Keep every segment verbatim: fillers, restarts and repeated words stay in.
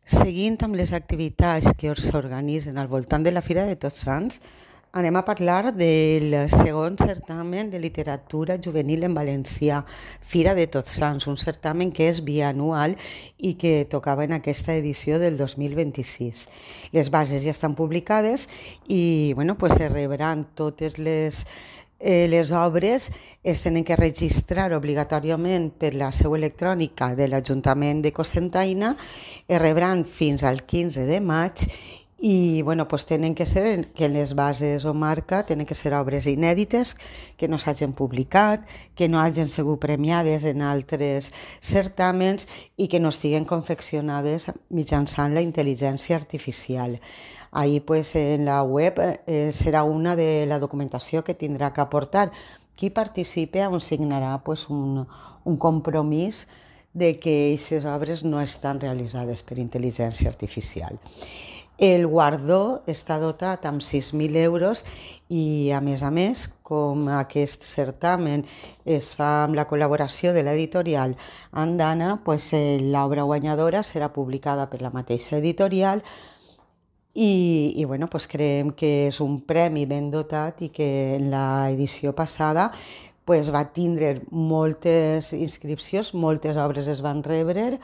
Seguint amb les activitats que s'organitzen al voltant de la Fira de Tots Sants, anem a parlar del segon certamen de literatura juvenil en valencià, Fira de Tots Sants, un certamen que és bianual i que tocava en aquesta edició del dos mil vint-i-sis. Les bases ja estan publicades i bueno, pues, se rebran totes les Eh, les obres es tenen que registrar obligatòriament per la seu electrònica de l'Ajuntament de Cocentaina, es rebran fins al quinze de maig i bueno, pues tenen que ser, que en les bases o marca tenen que ser obres inèdites, que no s'hagin publicat, que no hagin sigut premiades en altres certàmens i que no estiguen confeccionades mitjançant la intel·ligència artificial. Ahí pues en la web eh, serà una de la documentació que tindrà que aportar. Qui participe on signarà pues, un, un compromís de que aquestes obres no estan realitzades per intel·ligència artificial. El guardó està dotat amb sis mil euros i, a més a més, com aquest certamen es fa amb la col·laboració de l'editorial Andana, pues, l'obra guanyadora serà publicada per la mateixa editorial i, i bueno, pues, creiem que és un premi ben dotat i que en l'edició passada pues, va tindre moltes inscripcions, moltes obres es van rebre.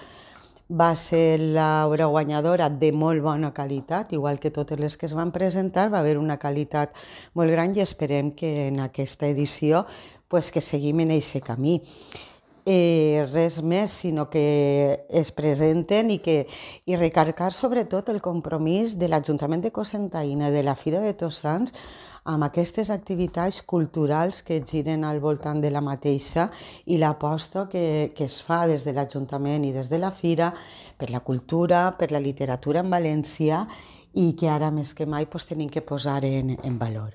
Va ser l'obra guanyadora de molt bona qualitat, igual que totes les que es van presentar, va haver una qualitat molt gran i esperem que en aquesta edició pues, que seguim en aquest camí. Eh, res més, sinó que es presenten i, que, i recarregar sobretot el compromís de l'Ajuntament de Cocentaina, de la Fira de Tots Sants, amb aquestes activitats culturals que giren al voltant de la mateixa i l'aposta que, que es fa des de l'Ajuntament i des de la Fira per la cultura, per la literatura en valencià i que ara més que mai pues, tenim que posar en, en valor.